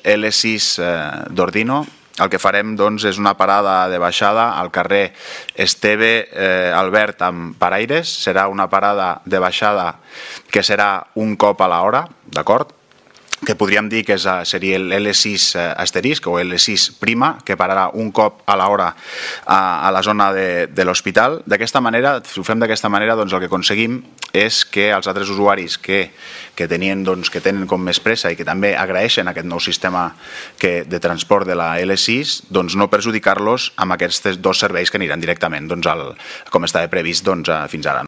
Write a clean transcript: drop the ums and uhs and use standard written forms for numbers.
L6 d'Ordino, el que farem és una parada de baixada al carrer Esteve Albert amb paraires. Serà una parada de baixada que serà un cop a l'hora, d'acord? Que podríem dir que seria l'L6 asterisc o L6 prima, que pararà un cop a l'hora a la zona de l'hospital. D'aquesta manera, si ho fem d'aquesta manera, el que aconseguim és que els altres usuaris que tenen com més pressa i que també agraeixen aquest nou sistema de transport de la L6, no perjudicar-los amb aquests dos serveis que aniran directament com estava previst fins ara.